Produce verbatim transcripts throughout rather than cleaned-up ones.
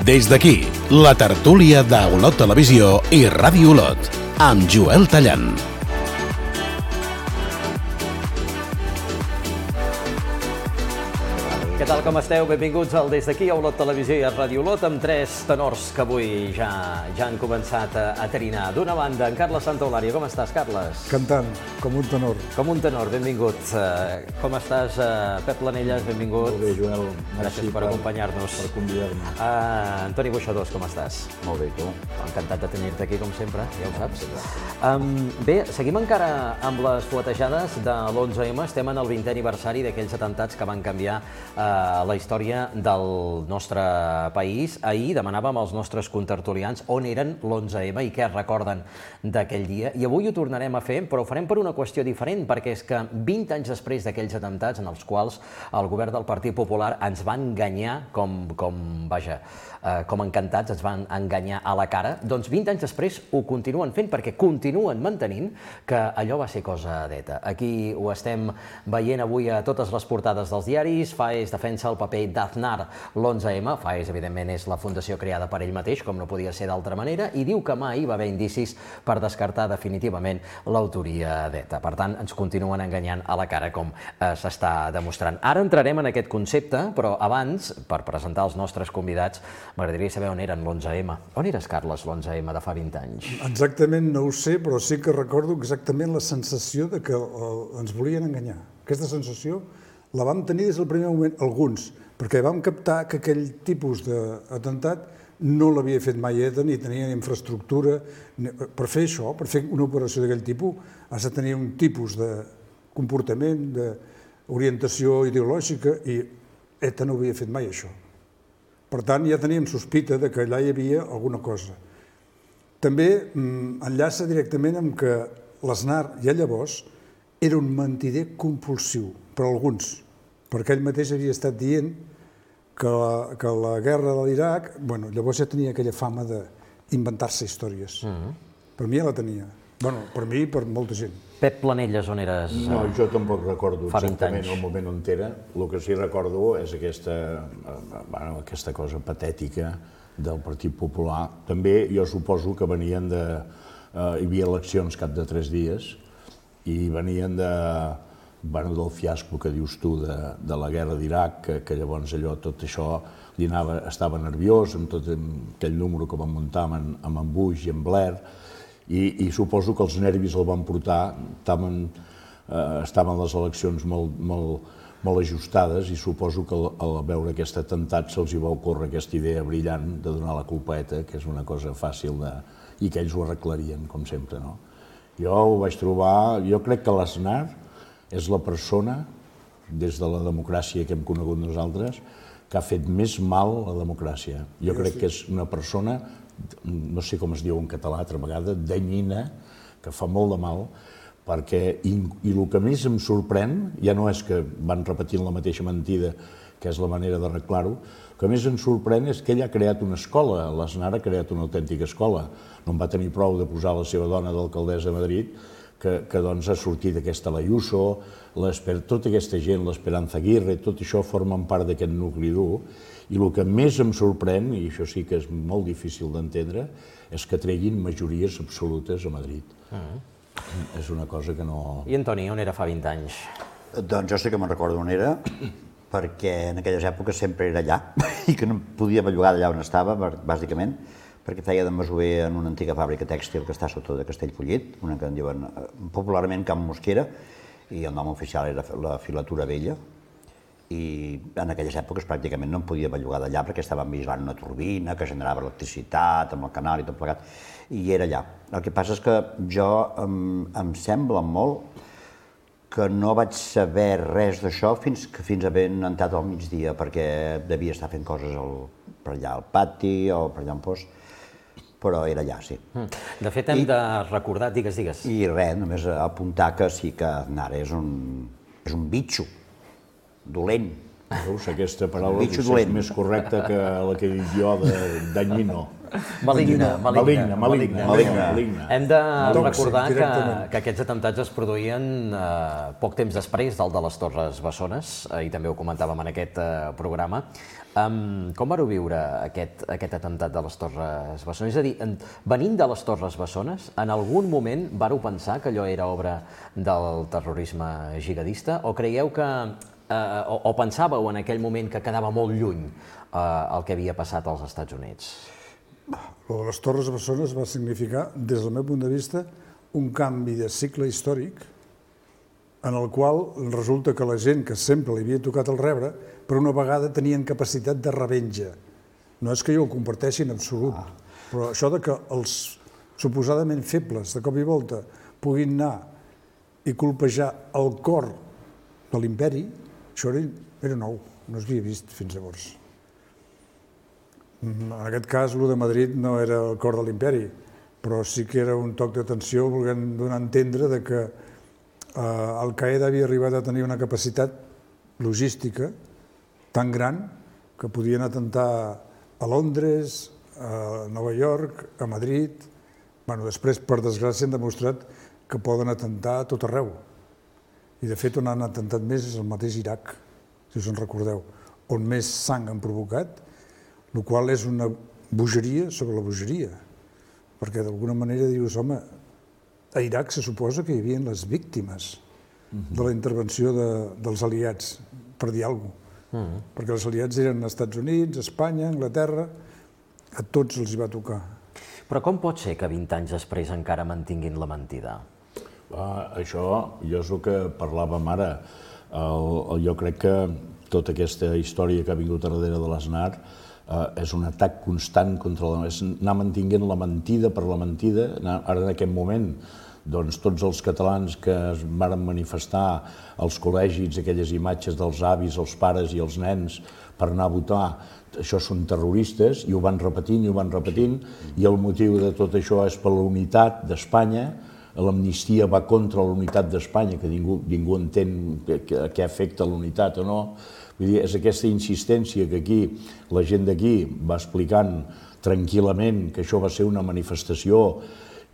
Des d'aquí, la tertúlia d'Olot Televisió i Ràdio Olot, amb Joel Tallant. Què tal, com esteu? Benvinguts al Des d'aquí, a Olot Televisió i a Ràdio Olot, amb tres tenors que avui ja ja han començat a, a trinar. D'una banda, en Carles Santaolària. Com estàs, Carles? Cantant, com un tenor. Com un tenor, benvingut. Uh, com estàs, uh, Pep Planelles? Benvingut. Molt bé, Joel. Gràcies per acompanyar-nos. Per convidar-me. Uh, Antoni Boixadors, com estàs? Molt bé, tu? Encantat de tenir-te aquí, com sempre, ja ho saps. Um, bé, seguim encara amb les fuetejades de l'onze ema. Estem en el vintè aniversari d'aquells atemptats que van canviar uh, la història del nostre país. Ahir demanàvem als nostres contertulians on eren l'onze ema i què recorden d'aquell dia. I avui ho tornarem a fer, però ho farem per una qüestió diferent, perquè és que vint anys després d'aquells atemptats en els quals el govern del Partit Popular ens va enganyar com, com vaja, eh, com encantats, ens van enganyar a la cara, doncs vint anys després ho continuen fent perquè continuen mantenint que allò va ser cosa d'Eta. Aquí ho estem veient avui a totes les portades dels diaris. Faes defensa el paper d'Aznar l'onze ema. Faes, evidentment, és la fundació creada per ell mateix, com no podia ser d'altra manera, i diu que mai va haver indicis per descartar definitivament l'autoria d'Eta. Per tant, ens continuen enganyant a la cara, com eh, s'està demostrant. Ara entrarem en aquest concepte, però abans, per presentar els nostres convidats, m'agradaria saber on eren l'onze ema. On eres, Carles, l'onze ema de fa vint anys? Exactament no ho sé, però sí que recordo exactament la sensació de que el, ens volien enganyar. Aquesta sensació la vam tenir des del primer moment, alguns, perquè vam captar que aquell tipus d'atemptat no l'havia fet mai ETA, ni tenia infraestructura. Per fer això, per fer una operació d'aquell tipus, has de tenir un tipus de comportament, d'orientació ideològica, i ETA no havia fet mai això. Per tant, ja teníem sospita de que allà hi havia alguna cosa. També enllaça directament amb que l'Aznar, ja llavors, era un mentider compulsiu, per alguns, perquè ell mateix havia estat dient que la, que la guerra de l'Iraq, bueno, llavors ja tenia aquella fama d'inventar-se històries. Per mi ja la tenia. Bueno, per mi i per molta gent. Pep Planelles, on eres? No, jo tampoc recordo fa vint exactament anys. el moment on era. El que sí recordo és aquesta, bueno, aquesta cosa patètica del Partit Popular. També jo suposo que venien de... Eh, hi havia eleccions cap de tres dies i venien de... Bueno, del fiasco que dius tu de, de la guerra d'Iraq, que, que llavors allò, tot això, li anava, estava nerviós amb tot aquell número que van muntar amb, amb en Bush i en Blair, i, i suposo que els nervis el van portar, estaven, eh, estaven les eleccions molt, molt, molt ajustades, i suposo que al, al veure aquest atemptat se'ls hi va ocórrer aquesta idea brillant de donar la culpa a ETA, que és una cosa fàcil de... i que ells ho arreglarien, com sempre, no? Jo ho vaig trobar... Jo crec que l'Aznar és la persona, des de la democràcia que hem conegut nosaltres, que ha fet més mal a la democràcia. Jo crec que és una persona, no sé com es diu en català altra vegada, danyina, que fa molt de mal, perquè, i, i el que més em sorprèn, ja no és que van repetint la mateixa mentida, que és la manera d'arreglar-ho, el que més em sorprèn és que ell ha creat una escola, l'Aznar ha creat una autèntica escola. No en va tenir prou de posar la seva dona d'alcaldessa a Madrid, que, que doncs ha sortit aquesta l'Ayuso, tota aquesta gent, l'Esperanza Aguirre, tot això formen part d'aquest nucli dur, i el que més em sorprèn, i això sí que és molt difícil d'entendre, és que treguin majories absolutes a Madrid. Uh-huh. És una cosa que no... I Antoni, on era fa vint anys? Doncs jo sí que me'n recordo on era, perquè en aquelles èpoques sempre era allà, i que no podia bellugar d'allà on estava, bàsicament, perquè feia de masover en una antiga fàbrica tèxtil que està sota de Castellfollit, una que en diuen popularment Camp Mosquera, i el nom oficial era la Filatura Vella, i en aquelles èpoques pràcticament no em podia bellugar d'allà perquè estaven vigilant una turbina que generava electricitat amb el canal i tot plegat, i era allà. El que passa és que jo em, em sembla molt que no vaig saber res d'això fins que fins havent entrat al migdia, perquè devia estar fent coses al, per allà al pati o per allà on fos, però era allà, sí. De fet, hem I, de recordar, digues, digues. I res, només apuntar que sí que Aznar és un, és un bitxo, dolent. Veus, aquesta paraula potser és més correcta que la que he dit jo de danyino. Maligna, Maligna, maligna, maligna. Hem de Tòxic, recordar que, directament. que aquests atemptats es produïen eh, poc temps després del de les Torres Bessones, eh, i també ho comentàvem en aquest eh, programa. Um, com vareu viure aquest, aquest atemptat de les Torres Bessones? És a dir, en, venint de les Torres Bessones, en algun moment vareu pensar que allò era obra del terrorisme jihadista, o creieu que, eh, o, o pensàveu en aquell moment que quedava molt lluny eh, el que havia passat als Estats Units? Lo de les Torres Bessones va significar, des del meu punt de vista, un canvi de cicle històric en el qual resulta que la gent que sempre li havia tocat el rebre, per una vegada tenien capacitat de revenja. No és que jo ho comparteixi en absolut, però això de que els suposadament febles, de cop i volta, puguin anar i colpejar el cor de l'imperi, això era, era nou, no s'havia vist fins llavors. En aquest cas, el de Madrid no era el cor de l'imperi, però sí que era un toc d'atenció volent donar a entendre de que eh, Al-Qaeda havia arribat a tenir una capacitat logística tan gran que podien atentar a Londres, a Nova York, a Madrid. Bueno, després, per desgràcia, han demostrat que poden atentar a tot arreu. I, de fet, on han atentat més és el mateix Iraq, si us en recordeu, on més sang han provocat, el qual és una bogeria sobre la bogeria, perquè d'alguna manera dius, home, a Iraq se suposa que hi havia les víctimes de la intervenció de, dels aliats, per dir alguna cosa. Uh-huh. Perquè els aliats eren als Estats Units, Espanya, Anglaterra, a tots els hi va tocar. Però com pot ser que vint anys després encara mantinguin la mentida? Ah, això, jo és el que parlàvem ara. El, el, jo crec que tota aquesta història que ha vingut a darrere de l'Aznar eh, és un atac constant contra la... és anar mantinguent la mentida per la mentida. Ara, en aquest moment, doncs, tots els catalans que es van manifestar als col·legis, aquelles imatges dels avis, els pares i els nens per anar a votar, això són terroristes, i ho van repetint i ho van repetint, i el motiu de tot això és per la unitat d'Espanya. L'amnistia va contra la unitat d'Espanya, que ningú, ningú entén què afecta la unitat o no. Vull dir, és aquesta insistència que aquí la gent d'aquí va explicant tranquil·lament que això va ser una manifestació.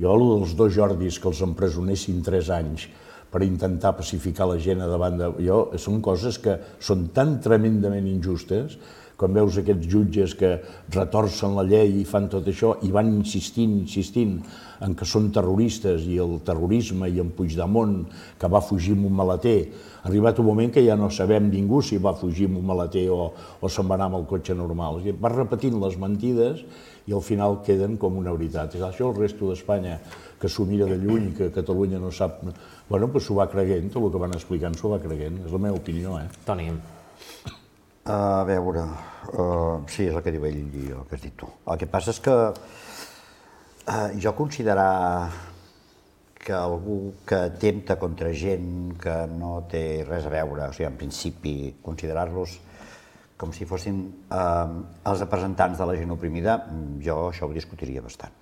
Jo, el dels dos Jordis que els empresonessin tres anys per intentar pacificar la gent a davant de... Jo, són coses que són tan tremendament injustes, quan veus aquests jutges que retorcen la llei i fan tot això i van insistint, insistint en que són terroristes, i el terrorisme, i en Puigdemont, que va fugir amb un maleter. Ha arribat un moment que ja no sabem ningú si va fugir amb un maleter o, o se'n va anar amb el cotxe normal. Va repetint les mentides i al final queden com una veritat. És això el resto d'Espanya, que s'ho mira de lluny, que Catalunya no sap... Bueno, doncs s'ho va creguent, tot el que van explicant s'ho va creguent. És la meva opinió, eh? Toni. A veure, uh, sí, és el que diu ell i el que has dit tu. El que passa és que uh, jo considerar que algú que atempta contra gent que no té res a veure, o sigui, en principi, considerar-los com si fossin uh, els representants de la gent oprimida, jo això ho discutiria bastant.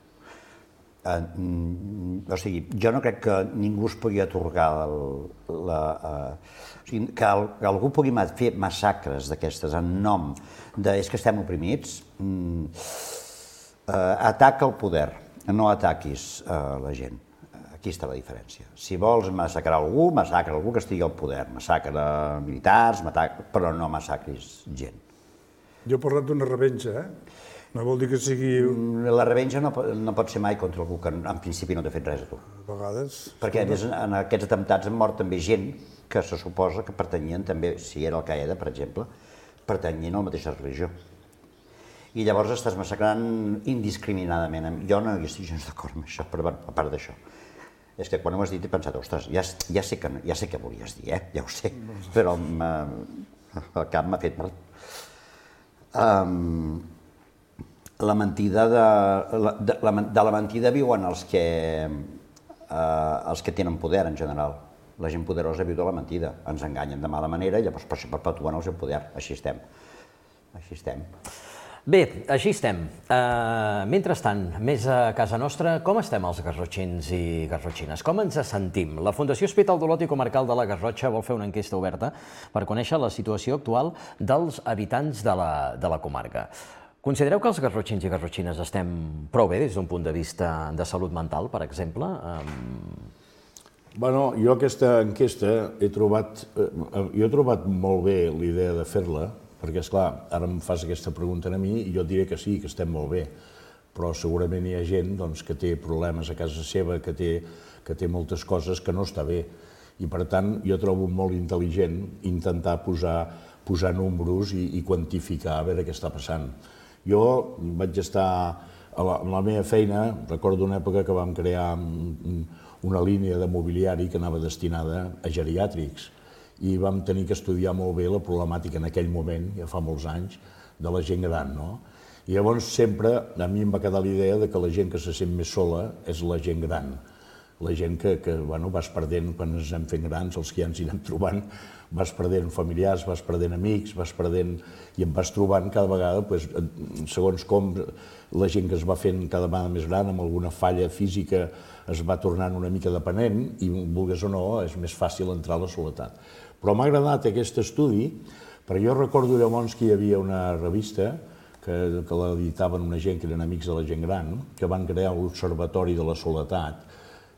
Uh, o sigui, jo no crec que ningú es pugui atorgar el, la, uh, o sigui, que, el, que algú pugui fer massacres d'aquestes en nom de és que estem oprimits. Mm, uh, ataca el poder, no ataquis uh, la gent. Aquí està la diferència. Si vols massacrar algú, massacra algú que estigui al poder, massacra militars, però no massacris gent. Jo he parlat d'una revenja, eh? No vol dir que sigui... La revenja no, no pot ser mai contra algú que en principi no t'ha fet res a tu. A vegades... Perquè a més en aquests atemptats han mort també gent que se suposa que pertanyien també, si era Al-Qaeda, per exemple, pertanyien a la mateixa religió. I llavors estàs massacrant indiscriminadament. Jo no hi estic gens d'acord amb això, però a part d'això. És que quan ho has dit he pensat, ostres, ja, ja, sé, que, ja sé què volies dir, eh? Ja ho sé, però el cap m'ha fet mal. Um, la mentida de, de, de, de la mentida viuen els que, uh, els que tenen poder en general. La gent poderosa viu de la mentida, ens enganyen de mala manera i llavors per això perpetuen el seu poder. Així estem. Així estem. Bé, així estem. Uh, mentrestant, més a casa nostra, com estem els garrotxins i garrotxines? Com ens sentim? La Fundació Hospital d'Olot i Comarcal de la Garrotxa vol fer una enquesta oberta per conèixer la situació actual dels habitants de la, de la comarca. Considereu que els garrotxins i garrotxines estem prou bé des d'un punt de vista de salut mental, per exemple? Bueno, jo aquesta enquesta he trobat, jo he trobat molt bé l'idea de fer-la, perquè, esclar, ara em fas aquesta pregunta a mi i jo et diré que sí, que estem molt bé, però segurament hi ha gent doncs, que té problemes a casa seva, que té, que té moltes coses que no està bé. I, per tant, jo trobo molt intel·ligent intentar posar, posar números i, i quantificar a veure què està passant. Jo vaig estar a la, a la meva feina, recordo una època que vam crear una línia de mobiliari que anava destinada a geriàtrics i vam tenir que estudiar molt bé la problemàtica en aquell moment, ja fa molts anys, de la gent gran, no? I llavors sempre a mi em va quedar la idea que la gent que se sent més sola és la gent gran. La gent que, que bueno, vas perdent, quan ens anem fent grans, els que ja ens hi anem trobant, vas perdent familiars, vas perdent amics, vas perdent... i em vas trobant cada vegada, doncs, segons com la gent que es va fent cada vegada més gran, amb alguna falla física, es va tornant una mica dependent i, vulguis o no, és més fàcil entrar a la soledat. Però m'ha agradat aquest estudi, perquè jo recordo llavors que hi havia una revista que, que l'editaven una gent que eren amics de la gent gran, que van crear l'Observatori de la Soledat,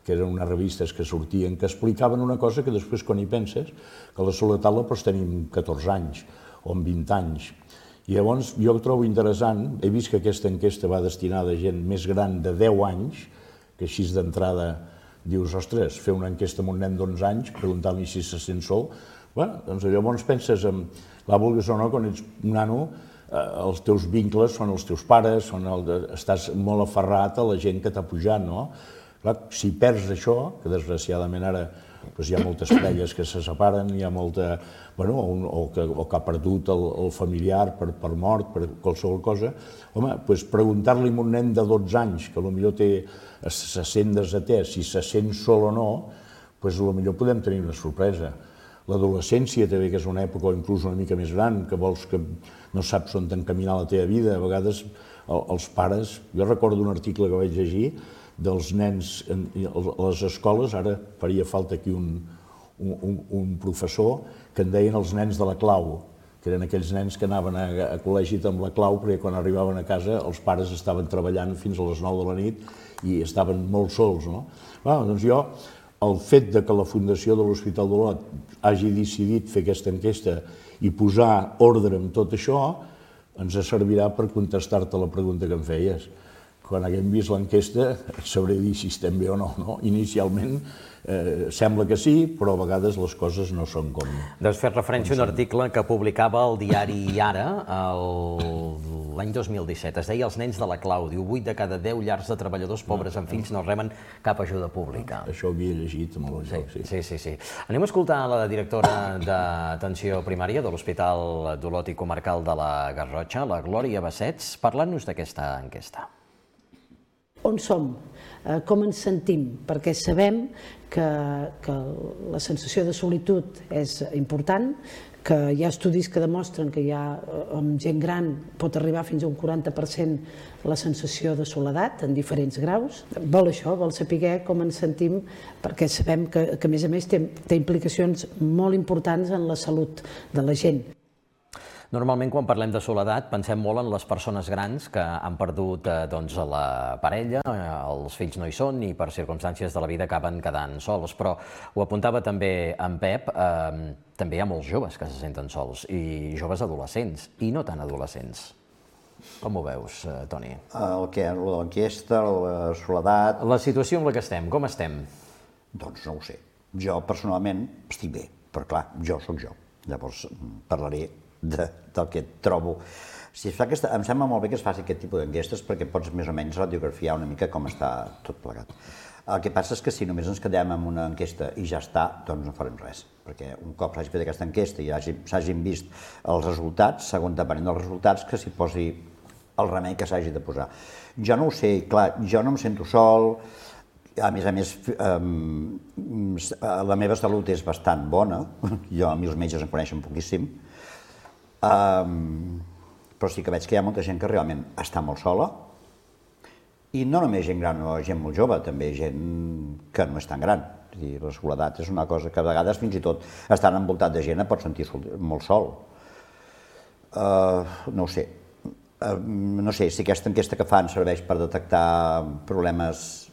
que eren unes revistes que sortien, que explicaven una cosa que després, quan hi penses, que la soledat la pots tenir amb catorze anys o amb vint anys. I llavors jo ho trobo interessant, he vist que aquesta enquesta va destinada a gent més gran de deu anys, que així d'entrada dius, ostres, fer una enquesta amb un nen d'onze anys, preguntant-li si se sent sol, bueno, doncs llavors penses en, la vulguis o no, quan ets un nano, els teus vincles són els teus pares, són el, estàs molt aferrat a la gent que t'ha pujat, no? Clar, si perds això, que desgraciadament ara doncs hi ha moltes parelles que se separen, hi ha molta... Bueno, o, o, que, o que ha perdut el, el familiar per, per mort, per qualsevol cosa, home, doncs preguntar-li a un nen de dotze anys, que potser té, se sent desatès, si se sent sol o no, doncs potser podem tenir una sorpresa. L'adolescència també, que és una època o inclús una mica més gran, que vols que no saps on t'encaminar la teva vida, a vegades els pares... Jo recordo un article que vaig llegir dels nens a les escoles, ara faria falta aquí un, un, un professor, que en deien els nens de la clau, que eren aquells nens que anaven a, a col·legi amb la clau, perquè quan arribaven a casa els pares estaven treballant fins a les nou de la nit i estaven molt sols, no? Bueno, doncs jo, el fet de que la Fundació de l'Hospital d'Olot hagi decidit fer aquesta enquesta i posar ordre en tot això, ens servirà per contestar-te la pregunta que em feies. Quan haguem vist l'enquesta, sabré dir si estem bé o no. no? Inicialment eh, sembla que sí, però a vegades les coses no són com... Doncs fer referència a un article que publicava el diari Ara l'any dos mil disset. Es deia Els nens de la clau. Diu, vuit de cada deu llars de treballadors pobres amb fills no reben cap ajuda pública. Això ho havia llegit amb el joc, sí. Sí, sí, sí. Anem a escoltar la directora d'atenció primària de l'Hospital d'Olot i Comarcal de la Garrotxa, la Glòria Bassets, parlant-nos d'aquesta enquesta. On som, com ens sentim, perquè sabem que, que la sensació de solitud és important, que hi ha estudis que demostren que hi ha, amb gent gran pot arribar fins a un quaranta per cent la sensació de soledat en diferents graus. Vol això, vol saber com ens sentim, perquè sabem que, que a més a més té, té implicacions molt importants en la salut de la gent. Normalment, quan parlem de soledat, pensem molt en les persones grans que han perdut eh, doncs, la parella, eh, els fills no hi són i per circumstàncies de la vida acaben quedant sols. Però ho apuntava també en Pep, eh, també hi ha molts joves que se senten sols, i joves adolescents, i no tan adolescents. Com ho veus, eh, Toni? El que? L'enquesta, la soledat... La situació en la que estem, com estem? Doncs no ho sé. Jo, personalment, estic bé, però clar, jo sóc jo. Llavors parlaré De, del que trobo. Si es fa aquesta, em sembla molt bé que es faci aquest tipus d'enquestes perquè pots més o menys radiografiar una mica com està tot plegat. El que passa és que si només ens quedem amb una enquesta i ja està, doncs no farem res. Perquè un cop s'hagi fet aquesta enquesta i s'hagin vist els resultats, segons depenent dels resultats, que s'hi posi el remei que s'hagi de posar. Jo no ho sé, clar, jo no em sento sol, a més a més, eh, la meva salut és bastant bona, jo a mi els metges em coneixen poquíssim, Um, però sí que veig que hi ha molta gent que realment està molt sola i no només gent gran o gent molt jove, també gent que no és tan gran. És dir, la soledat és una cosa que a vegades fins i tot estant envoltat de gent et pots sentir molt sol. Uh, no ho sé. no sé, si aquesta enquesta que fan serveix per detectar problemes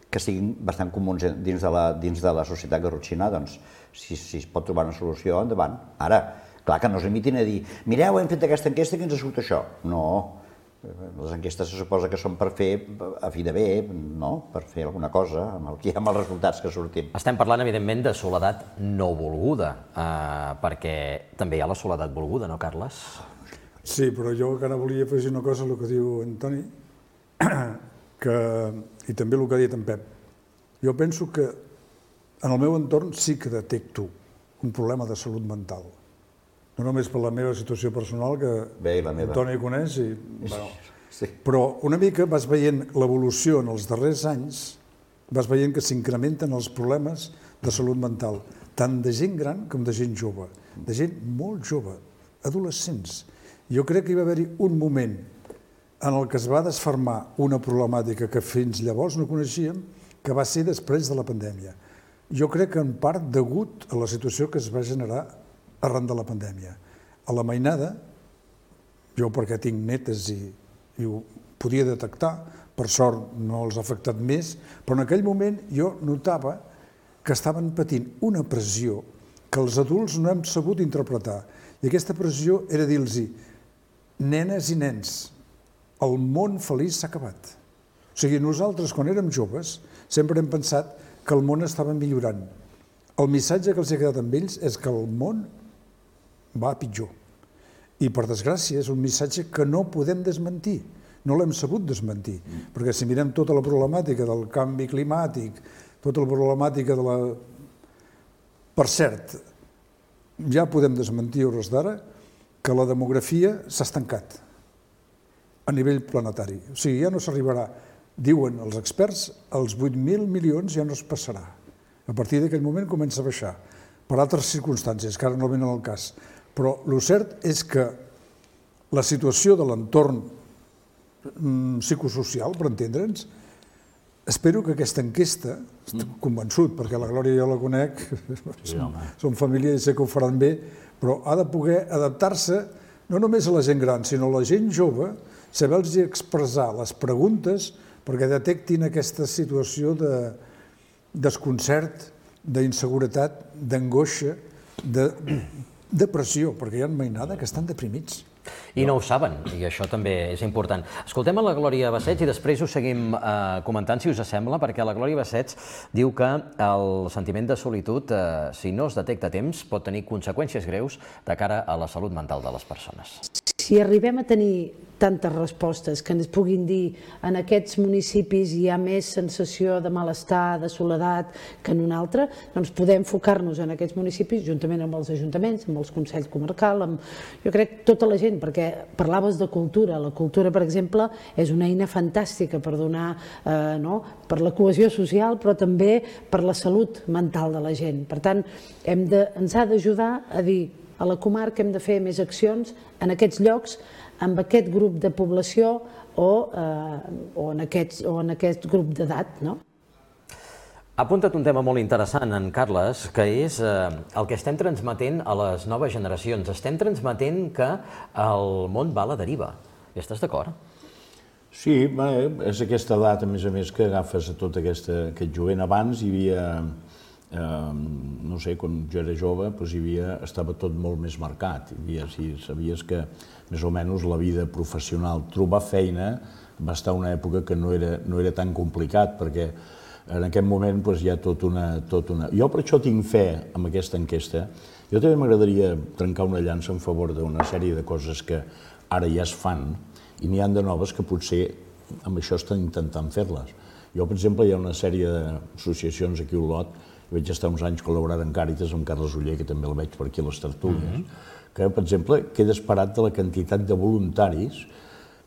que siguin bastant comuns dins de la, dins de la societat garrotxina, doncs si, si es pot trobar una solució, endavant. Ara, clar que no es limitin a dir mireu, hem fet aquesta enquesta i ens ha sigut això. No, les enquestes se suposa que són per fer a fi de bé, no? Per fer alguna cosa amb, el, amb els resultats que sortim. Estem parlant, evidentment, de soledat no volguda, eh, perquè també hi ha la soledat volguda, no, Carles? Sí, però jo encara volia afegir una cosa al que diu Antoni, que, i també el que ha dit en Pep. Jo penso que en el meu entorn sí que detecto un problema de salut mental. No només per la meva situació personal, que Bé, la meva. Antoni coneix, i, bueno, Sí. però una mica vas veient l'evolució en els darrers anys, vas veient que s'incrementen els problemes de salut mental, tant de gent gran com de gent jove, de gent molt jove, adolescents. Jo crec que hi va haver-hi un moment en el que es va desfermar una problemàtica que fins llavors no coneixíem, que va ser després de la pandèmia. Jo crec que en part degut a la situació que es va generar arran de la pandèmia. A la mainada, jo perquè tinc netes i, i ho podia detectar, per sort no els ha afectat més, però en aquell moment jo notava que estaven patint una pressió que els adults no hem sabut interpretar. I aquesta pressió era dir-los, nenes i nens, el món feliç s'ha acabat. O sigui, nosaltres, quan érem joves, sempre hem pensat que el món estava millorant. El missatge que els ha quedat amb ells és que el món va a pitjor. I, per desgràcia, és un missatge que no podem desmentir. No l'hem sabut desmentir. Perquè si mirem tota la problemàtica del canvi climàtic, tota la problemàtica de la... Per cert, ja podem desmentir a hores d'ara que la demografia s'ha estancat a nivell planetari. O sigui, ja no s'arribarà, diuen els experts, als vuit mil milions ja no es passarà. A partir d'aquell moment comença a baixar, per altres circumstàncies, que ara no venen al cas. Però el cert és que la situació de l'entorn psicosocial, per entendre'ns, espero que aquesta enquesta, estic convençut, perquè la Glòria jo la conec, som família i sé que ho faran bé, però ha de poder adaptar-se no només a la gent gran, sinó a la gent jove, saber-los expressar les preguntes perquè detectin aquesta situació de desconcert, d'inseguretat, d'angoixa, de depressió, perquè hi ha mainada que estan deprimits. I no ho saben, i això també és important. Escoltem a la Glòria Bassets i després ho seguim eh, comentant, si us sembla, perquè la Glòria Bassets diu que el sentiment de solitud, eh, si no es detecta a temps, pot tenir conseqüències greus de cara a la salut mental de les persones. Si arribem a tenir tantes respostes que ens puguin dir en aquests municipis hi ha més sensació de malestar, de soledat que en un altre, doncs podem enfocar-nos en aquests municipis juntament amb els ajuntaments, amb els consells comarcals, amb, jo crec, tota la gent, perquè parlaves de cultura. La cultura, per exemple, és una eina fantàstica per donar, eh, no?, per la cohesió social, però també per la salut mental de la gent. Per tant, hem de, ens ha d'ajudar a dir a la comarca hem de fer més accions en aquests llocs, amb aquest grup de població o, eh, o, en, aquests, o en aquest grup d'edat, no? Ha apuntat un tema molt interessant, en Carles, que és eh, el que estem transmetent a les noves generacions. Estem transmetent que el món va a la deriva. Hi estàs d'acord? Sí, bé, és aquesta edat, a més a més, que agafes a tot aquesta, aquest jovent. Abans hi havia, eh, no sé, quan jo era jove, doncs hi havia, estava tot molt més marcat. Hi havia, si sabies que més o menys la vida professional, trobar feina, va estar una època que no era, no era tan complicat, perquè en aquest moment doncs, hi ha tot una, tot una... Jo per això tinc fe amb aquesta enquesta. Jo també m'agradaria trencar una llança en favor d'una sèrie de coses que ara ja es fan i n'hi ha de noves que potser amb això estan intentant fer-les. Jo, per exemple, hi ha una sèrie d'associacions aquí a Olot, vaig estar uns anys col·laborant amb Càritas, amb Carles Oller, que també el veig per aquí a les tertúlies, que, per exemple, queda esperat de la quantitat de voluntaris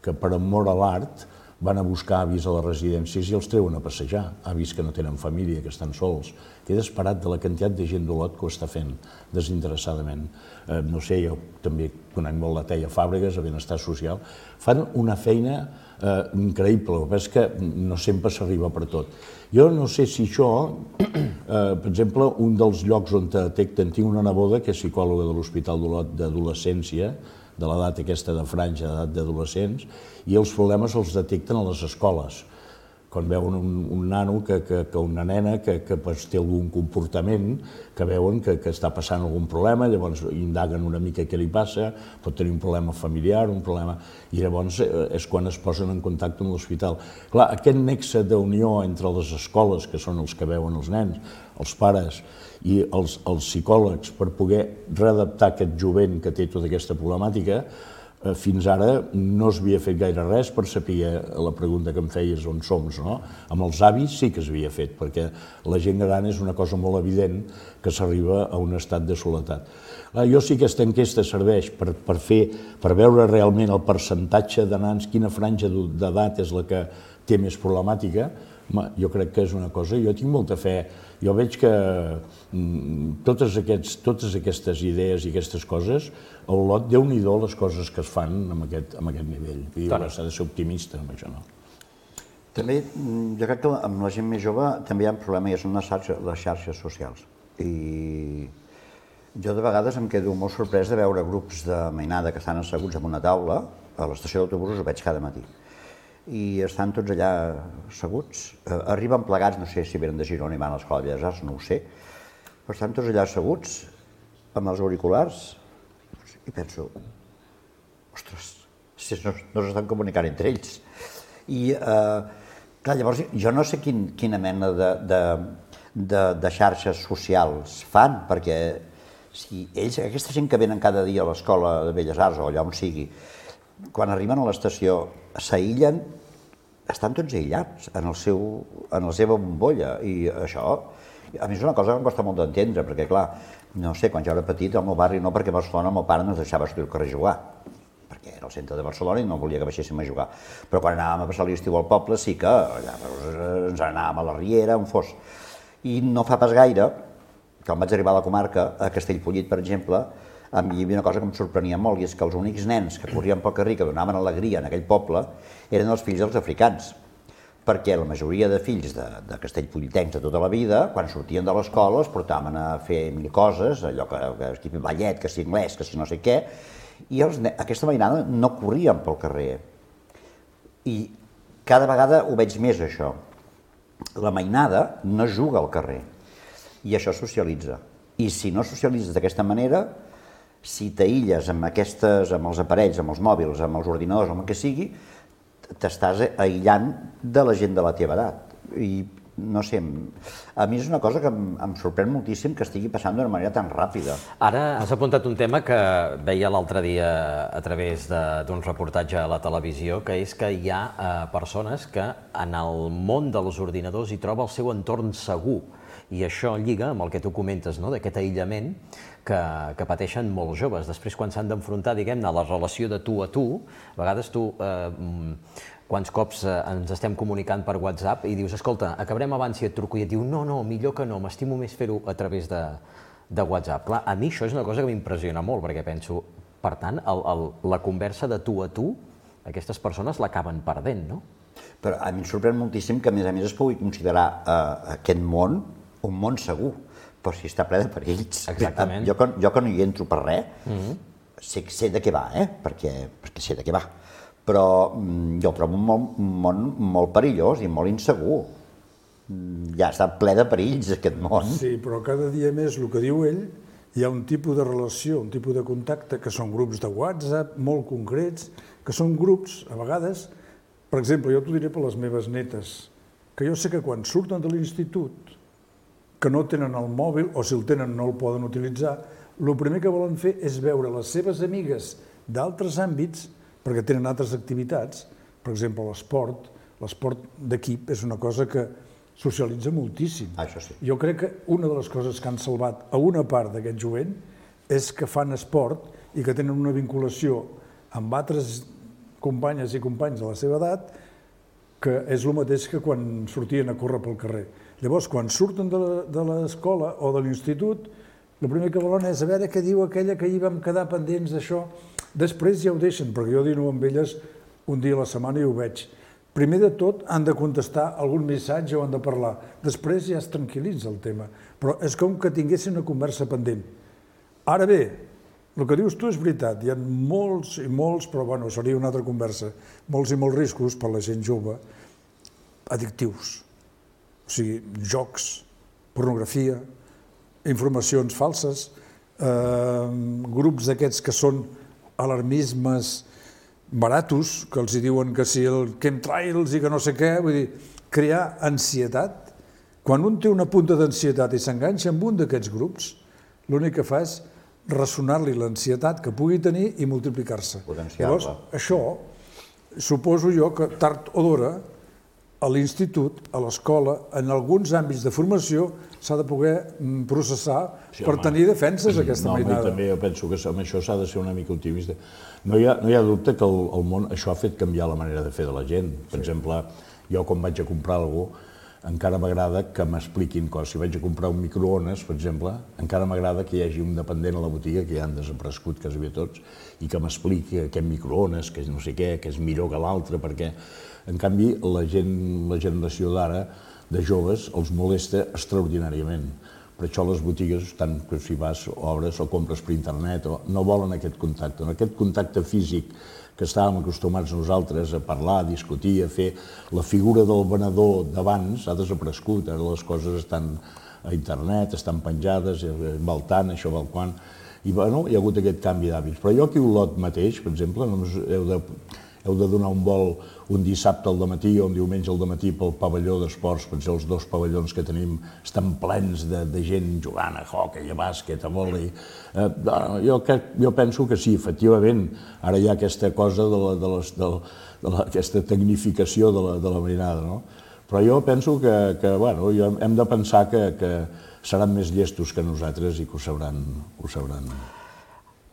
que, per amor a l'art, van a buscar avis a les residències i els treuen a passejar, avis que no tenen família, que estan sols. Queda esperat de la quantitat de gent d'Olot que ho està fent desinteressadament. Eh, no sé, jo també conec molt la Teia Fàbregas, a Benestar Social. Fan una feina eh, increïble, el que és que no sempre s'arriba per tot. Jo no sé si això, eh, per exemple, un dels llocs on detecten, tinc una neboda que és psicòloga de l'Hospital d'Olot d'adolescència, de l'edat aquesta de franja, d'edat d'adolescents, i els problemes els detecten a les escoles. Quan veuen un, un nano, que, que, que una nena que, que pues, té algun comportament, que veuen que, que està passant algun problema, llavors indaguen una mica què li passa, pot tenir un problema familiar, un problema... I llavors és quan es posen en contacte amb l'hospital. Clar, aquest nexe d'unió entre les escoles, que són els que veuen els nens, els pares i els, els psicòlegs, per poder readaptar aquest jovent que té tota aquesta problemàtica, fins ara no s'havia fet gaire res per saber la pregunta que em feies on som, no? Amb els avis sí que s'havia fet, perquè la gent gran és una cosa molt evident que s'arriba a un estat de soledat. Jo sí que aquesta enquesta serveix per, per, fer, per veure realment el percentatge de nans, quina franja d'edat és la que té més problemàtica. Home, jo crec que és una cosa, jo tinc molta fe. Jo veig que totes, aquests, totes aquestes idees i aquestes coses, el lot, Déu-n'hi-do les coses que es fan amb aquest, amb aquest nivell. I s'ha de ser optimista amb això, no? També, jo crec que amb la gent més jove també hi ha un problema, i són les xarxes, les xarxes socials. I jo de vegades em quedo molt sorprès de veure grups de mainada que estan asseguts en una taula, a l'estació d'autobusos ho veig cada matí. I estan tots allà asseguts, arriben plegats, no sé si venen de Girona i van a l'Escola de Belles Arts, no ho sé, però estan tots allà asseguts, amb els auriculars, i penso, ostres, si no, no s'estan comunicant entre ells. I, eh, clar, llavors, jo no sé quin, quina mena de, de, de, de xarxes socials fan, perquè si ells, aquesta gent que venen cada dia a l'Escola de Belles Arts o allà on sigui, quan arriben a l'estació s'aïllen, estan tots aïllats en, el seu, en la seva bombolla, i això a mi és una cosa que em costa molt d'entendre, perquè clar, no sé, quan jo era petit al meu barri no, perquè a Barcelona el meu pare no ens deixava sortir al carrer a jugar, perquè era al centre de Barcelona i no volia que baixéssim a jugar, però quan anàvem a passar l'estiu al poble sí que allà, ens anàvem a la Riera, on fos, i no fa pas gaire, quan vaig arribar a la comarca, a Castellfollit per exemple, a mi hi havia una cosa que em sorprenia molt, i és que els únics nens que corrien pel carrer, que donaven alegria en aquell poble, eren els fills dels africans, perquè la majoria de fills de, de castellfollitencs de tota la vida, quan sortien de l'escola, es portaven a fer mil coses, allò que, que, que ballet, que si anglès, que si no sé què, i els, aquesta mainada no corrien pel carrer. I cada vegada ho veig més, això. La mainada no juga al carrer, i això socialitza. I si no socialitzes d'aquesta manera, si t'aïlles amb aquestes, amb els aparells, amb els mòbils, amb els ordinadors, amb el que sigui, t'estàs aïllant de la gent de la teva edat. I no sé, a mi és una cosa que em, em sorprèn moltíssim que estigui passant d'una manera tan ràpida. Ara has apuntat un tema que veia l'altre dia a través d'un reportatge a la televisió, que és que hi ha eh, persones que en el món dels ordinadors hi troba el seu entorn segur. I això lliga amb el que tu comentes, no?, d'aquest aïllament que, que pateixen molts joves. Després, quan s'han d'enfrontar, diguem-ne, a la relació de tu a tu, a vegades tu, eh, quants cops eh, ens estem comunicant per WhatsApp i dius, escolta, acabarem abans i et truco, i et diu, no, no, millor que no, m'estimo més fer-ho a través de, de WhatsApp. Clar, a mi això és una cosa que m'impressiona molt, perquè penso, per tant, el, el, la conversa de tu a tu, aquestes persones l'acaben perdent, no? Però a mi em sorprèn moltíssim que, a més a més, es pugui considerar eh, aquest món un món segur, però si està ple de perills. Exactament. Jo, jo que no hi entro per res, mm-hmm. sé, sé de què va, eh? perquè, perquè sé de què va, però jo el trobo un món, un món molt perillós i molt insegur. Ja està ple de perills, aquest món. Sí, però cada dia més, el que diu ell, hi ha un tipus de relació, un tipus de contacte, que són grups de WhatsApp molt concrets, que són grups, a vegades, per exemple, jo t'ho diré per les meves netes, que jo sé que quan surten de l'institut, que no tenen el mòbil, o si el tenen no el poden utilitzar, el primer que volen fer és veure les seves amigues d'altres àmbits, perquè tenen altres activitats, per exemple l'esport, l'esport d'equip és una cosa que socialitza moltíssim. Això sí. Jo crec que una de les coses que han salvat a una part d'aquest jovent és que fan esport i que tenen una vinculació amb altres companyes i companys de la seva edat que és el mateix que quan sortien a córrer pel carrer. Llavors, quan surten de l'escola o de l'institut, el primer que volen és a veure què diu aquella que hi vam quedar pendents d'això. Després ja ho deixen, perquè jo dino amb elles un dia a la setmana i ho veig. Primer de tot han de contestar algun missatge o han de parlar. Després ja es tranquil·litza el tema. Però és com que tinguessin una conversa pendent. Ara bé, El que dius tu és veritat, hi ha molts i molts, però bueno, seria una altra conversa, molts i molts riscos per la gent jove, addictius. O sigui, jocs, pornografia, informacions falses, eh, grups d'aquests que són alarmismes baratos, que els diuen que si el chemtrails i que no sé què, vull dir, crear ansietat. Quan un té una punta d'ansietat i s'enganxa amb un d'aquests grups, l'únic que fa és ressonar-li l'ansietat que pugui tenir i multiplicar-se. Llavors, això, suposo jo que tard o d'hora, a l'institut, a l'escola, en alguns àmbits de formació, s'ha de poder processar per tenir defenses aquesta mainada. No, també jo penso que amb això s'ha de ser una mica optimista. No hi ha, no hi ha dubte que el, el món, això ha fet canviar la manera de fer de la gent. Per exemple, jo quan vaig a comprar alguna cosa, encara m'agrada que m'expliquin coses. Si vaig a comprar un microones, per exemple, encara m'agrada que hi hagi un dependent a la botiga, que ja han desaparegut quasi bé tots, i que m'expliqui aquest microones, que és no sé què, que és millor que l'altre, perquè, en canvi, la gent, la generació d'ara, de joves, els molesta extraordinàriament. Per això les botigues, tant que si vas, obres o compres per internet, no volen aquest contacte. Aquest contacte físic que estàvem acostumats nosaltres a parlar, a discutir, a fer, la figura del venedor d'abans ha desaparegut. Ara les coses estan a internet, estan penjades, val tant, això val quan. I bueno, hi ha hagut aquest canvi d'hàbits. Però jo aquí a Olot mateix, per exemple, només heu de, heu de donar un vol un dissabte al dematí o un diumenge al dematí pel pavelló d'esports, perquè els dos pavellons que tenim estan plens de, de gent jugant a hoquei, a bàsquet, a vòlei. Eh, jo, jo penso que sí, efectivament, ara hi ha aquesta cosa de la, de les, de, de la, aquesta tecnificació de la, de la marinada, no? Però jo penso que, que bueno, hem de pensar que, que seran més llestos que nosaltres i que ho sabran, ho sabran.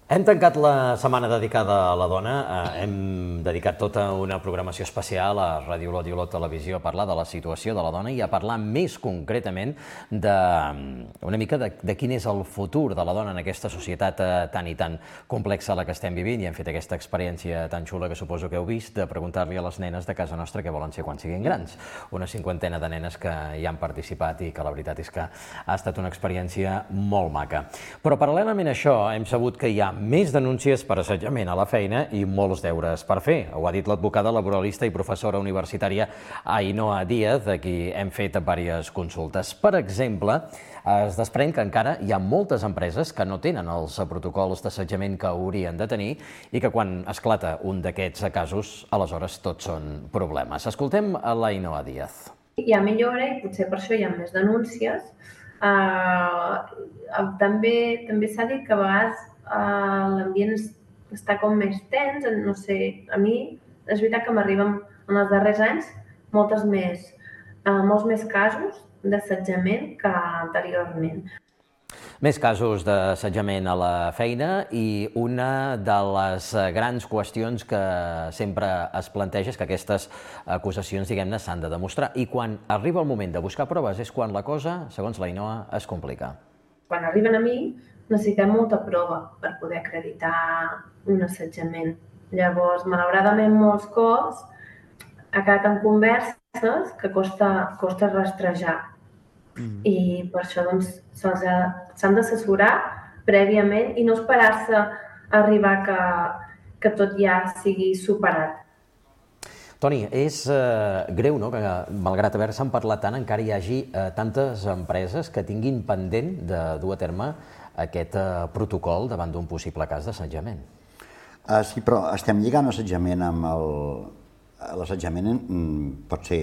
Hem tancat la setmana dedicada a la dona, hem dedicat tota una programació especial a Ràdio Olot i Olot Televisió a parlar de la situació de la dona i a parlar més concretament de una mica de, de quin és el futur de la dona en aquesta societat tan i tan complexa a la que estem vivint, i hem fet aquesta experiència tan xula que suposo que heu vist de preguntar-li a les nenes de casa nostra què volen ser quan siguin grans. Una cinquantena de nenes que hi han participat i que la veritat és que ha estat una experiència molt maca. Però paral·lelament a això hem sabut que hi ha més denúncies per assetjament a la feina i molts deures per fer. Ho ha dit l'advocada laboralista i professora universitària Ainhoa Díaz, a qui hem fet diverses consultes. Per exemple, es desprèn que encara hi ha moltes empreses que no tenen els protocols d'assetjament que haurien de tenir i que quan esclata un d'aquests casos, aleshores tots són problemes. Escoltem a l'Ainhoa Díaz. Hi ha millora i potser per això hi ha més denúncies. Uh, també també s'ha dit que a vegades uh, l'ambient està com més tens, no sé, a mi és veritat que m'arriben en els darrers anys moltes més, uh, molts més casos d'assetjament que anteriorment. Més casos d'assetjament a la feina i una de les grans qüestions que sempre es planteja és que aquestes acusacions, diguem-ne, s'han de demostrar. I quan arriba el moment de buscar proves és quan la cosa, segons l'Ainhoa, es complica. Quan arriben a mi necessitem molta prova per poder acreditar un assetjament. Llavors, malauradament, molts cops ha quedat en converses que costa, costa rastrejar. Mm. I per això doncs, s'han d'assessorar prèviament i no esperar-se a arribar que, que tot ja sigui superat. Toni, és eh, greu, no?, que malgrat haver-se'n parlat tant encara hi hagi eh, tantes empreses que tinguin pendent de dur a terme aquest eh, protocol davant d'un possible cas d'assetjament. Uh, sí, però estem lligant assetjament amb el... L'assetjament pot ser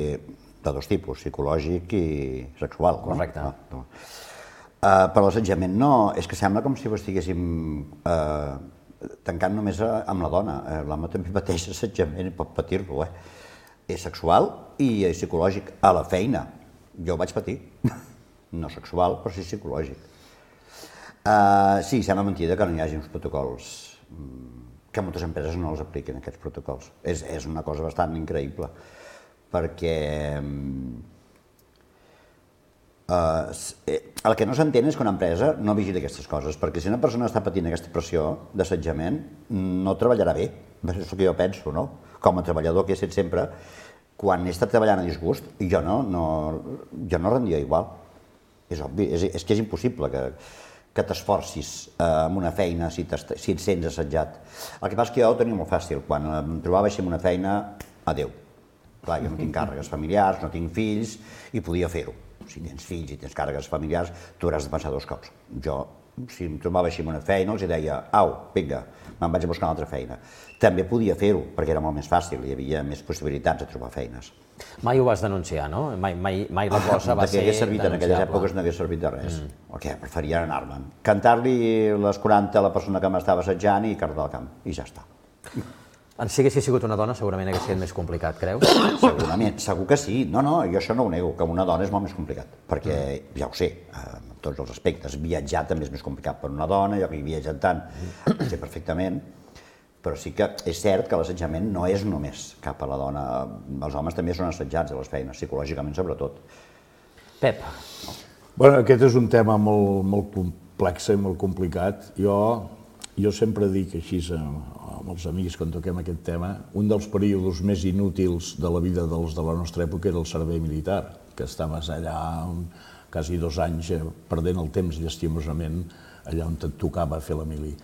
de dos tipus, psicològic i sexual. Correcte. No? No. Uh, però l'assetjament no, és que sembla com si ho estiguéssim uh, tancant només amb la dona. Uh, L'home també pateix assetjament i pot patir-lo. Eh? És sexual i psicològic a la feina. Jo ho vaig patir. No sexual, però sí psicològic. Uh, sí, sembla mentida que no hi hagi uns protocols, que moltes empreses no els apliquen, aquests protocols. És, és una cosa bastant increïble, perquè uh, el que no s'entén és que una empresa no vigili aquestes coses, perquè si una persona està patint aquesta pressió d'assetjament, no treballarà bé, és el que jo penso, no? Com a treballador que he estat sempre, quan he estat treballant a disgust, jo no, no, jo no rendia igual. És obvi, és, és que és impossible que, que t'esforcis en una feina si, si et sents assetjat. El que passa és que jo ho tenia molt fàcil. Quan em trobava així en una feina, adéu. Clar, jo no tinc càrregues familiars, no tinc fills i podia fer-ho. Si tens fills i tens càrregues familiars, tu hauràs de pensar dos cops. Jo, si em trobava així en una feina, els deia, au, vinga, me'n vaig a buscar una altra feina. També podia fer-ho, perquè era molt més fàcil, hi havia més possibilitats de trobar feines. Mai ho vas denunciar, no? Mai, mai, mai la cosa va ser denunciable. En aquelles èpoques no hagués servit de res. O què? Preferia anar-me'n. Cantar-li les quaranta a la persona que m'estava assetjant i cardar al camp, i ja està. Si haguessis sigut una dona, segurament hagués sigut més complicat, creus? Segurament, segur que sí. No, no, jo això no ho nego, que una dona és molt més complicat, perquè ja ho sé, en tots els aspectes. Viatjar també és més complicat per una dona, jo que hi viatgen tant, ho sé perfectament, però sí que és cert que l'assetjament no és només cap a la dona. Els homes també són assetjats a les feines, psicològicament sobretot. Pep. Bueno, aquest és un tema molt, molt complex i molt complicat. Jo, jo sempre dic així amb els amics quan toquem aquest tema, un dels períodes més inútils de la vida dels de la nostra època era el servei militar, que estaves allà quasi dos anys perdent el temps llastimosament allà on et tocava fer la mili.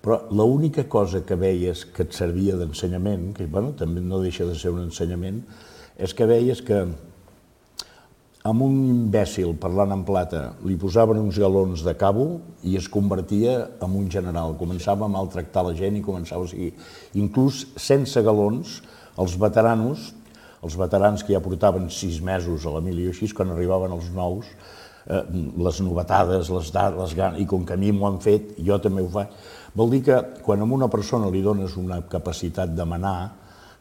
Però l'única cosa que veies que et servia d'ensenyament, que bueno, també no deixa de ser un ensenyament, és que veies que amb un imbècil parlant en plata li posaven uns galons de cabo i es convertia en un general. Començava a maltractar la gent i començava a seguir. Inclús sense galons, els veteranos, els veterans que ja portaven sis mesos a la mili o així, quan arribaven els nous, eh, les novetades, les dades, i com que a mi m'ho han fet, jo també ho faig, vol dir que quan a una persona li dones una capacitat de manar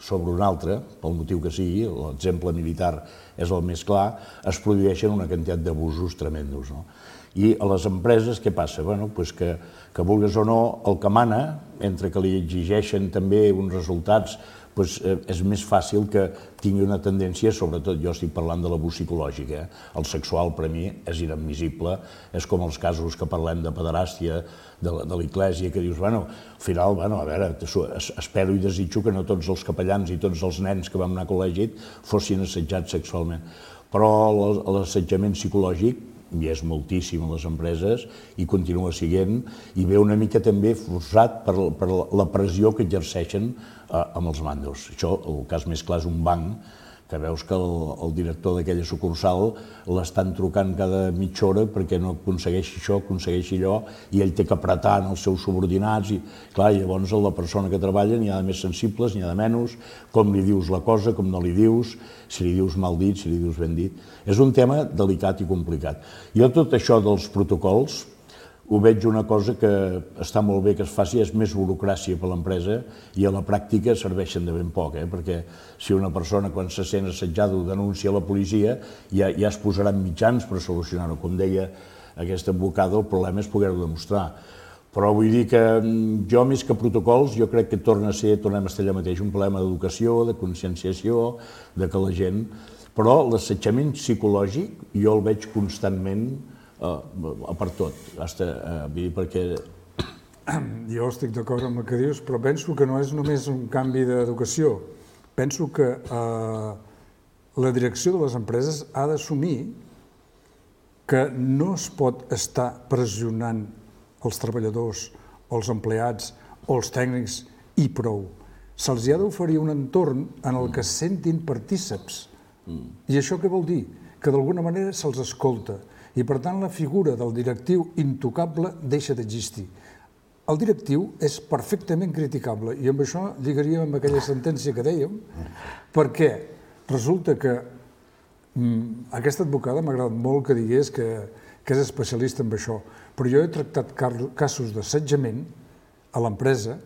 sobre una altra, pel motiu que sigui, l'exemple militar és el més clar, es produeixen una quantitat d'abusos tremendos. No? I a les empreses què passa? Bueno, pues que, que vulguis o no, el que mana, entre que li exigeixen també uns resultats, pues, eh, és més fàcil que tingui una tendència, sobretot jo estic parlant de l'abús psicològic, eh? El sexual per a mi és inadmissible, és com els casos que parlem de pederàstia, de, de l'Església, que dius, bueno, al final, bueno, a veure, espero i desitjo que no tots els capellans i tots els nens que vam anar a col·legi fossin assetjats sexualment, però l'assetjament psicològic hi és moltíssim a les empreses i continua sent, i ve una mica també forçat per, per la pressió que exerceixen eh, amb els mandos. Això, el cas més clar és un banc, que veus que el, el director d'aquella sucursal l'estan trucant cada mitja hora perquè no aconsegueixi això, aconsegueixi allò, i ell té que apretar en els seus subordinats, i clar, llavors la persona que treballa n'hi ha de més sensibles, n'hi ha de menys, com li dius la cosa, com no li dius, si li dius mal dit, si li dius ben dit. És un tema delicat i complicat. Jo tot això dels protocols ho veig una cosa que està molt bé que es faci, és més burocràcia per l'empresa i a la pràctica serveixen de ben poc, eh? Perquè si una persona quan se sent assetjada ho denuncia a la policia ja, ja es posaran mitjans per solucionar-ho. Com deia aquest advocat, el problema és poder-ho demostrar. Però vull dir que jo, més que protocols, jo crec que torna a ser, tornem a estar allà mateix, un problema d'educació, de conscienciació, de que la gent... Però l'assetjament psicològic jo el veig constantment per tot, perquè... Jo estic d'acord amb el que dius, però penso que no és només un canvi d'educació. Penso que la direcció de les empreses ha d'assumir que no es pot estar pressionant els treballadors, o els empleats, o els tècnics, i prou. Se'ls ha d'oferir un entorn en el que es sentin partíceps. I això què vol dir? Que d'alguna manera se'ls escolta. I, per tant, la figura del directiu intocable deixa d'existir. El directiu és perfectament criticable, i amb això lligaríem amb aquella sentència que dèiem, perquè resulta que mm, aquesta advocada m'ha agradat molt que digués que, que és especialista en això, però jo he tractat casos d'assetjament a l'empresa,